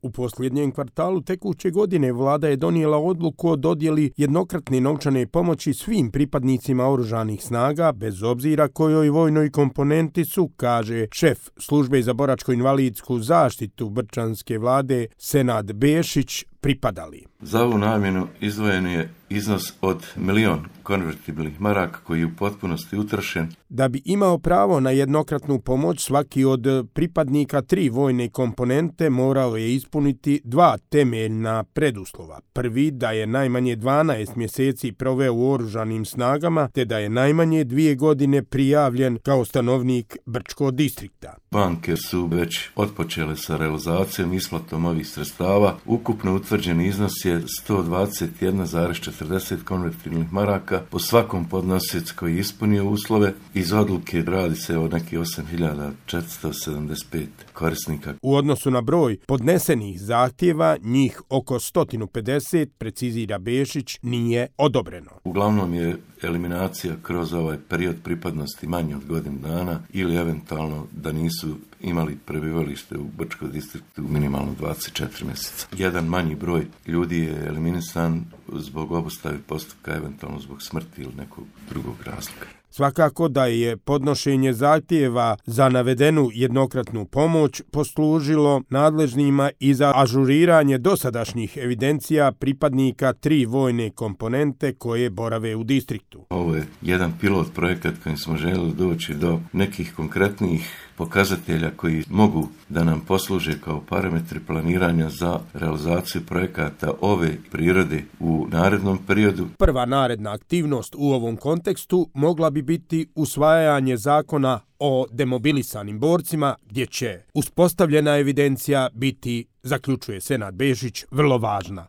U posljednjem kvartalu tekuće godine vlada je donijela odluku o dodjeli jednokratne novčane pomoći svim pripadnicima oružanih snaga, bez obzira kojoj vojnoj komponenti su, kaže šef službe za boračko-invalidsku zaštitu brčanske vlade Senad Bešić, pripadali. Za ovu namjenu izdvojen je iznos od 1.000.000 konvertibilnih maraka koji je u potpunosti utrošen. Da bi imao pravo na jednokratnu pomoć, svaki od pripadnika 3 vojne komponente morao je ispuniti 2 temeljna preduslova. Prvi, da je najmanje 12 mjeseci proveo u oružanim snagama, te da je najmanje 2 godine prijavljen kao stanovnik Brčkog distrikta. Banke su već otpočele sa realizacijom isplatom ovih sredstava. Ukupno utvrđeni iznos je 121,40 konvertibilnih maraka po svakom podnosiocu koji je ispunio uslove. Iz odluke radi se o nekih 8.475 korisnika. U odnosu na broj podnesenih zahtjeva, njih oko 150, precizira Bešić, nije odobreno. Uglavnom je eliminacija kroz ovaj period pripadnosti manje od godinu dana ili eventualno da nisu imali prebivalište u Brčkom distriktu minimalno 24 mjeseca. Jedan manji broj ljudi je eliminisan zbog obustave postupka, eventualno zbog smrti ili nekog drugog razloga. Svakako da je podnošenje zahtjeva za navedenu jednokratnu pomoć poslužilo nadležnima i za ažuriranje dosadašnjih evidencija pripadnika 3 vojne komponente koje borave u distriktu. Ovo je jedan pilot projekat kojim smo željeli doći do nekih konkretnih pokazatelja koji mogu da nam posluže kao parametri planiranja za realizaciju projekata ove prirode u narednom periodu. Prva naredna aktivnost u ovom kontekstu mogla bi biti usvajanje zakona o demobilisanim borcima, gdje će uspostavljena evidencija biti, zaključuje Senad Bešić, vrlo važna.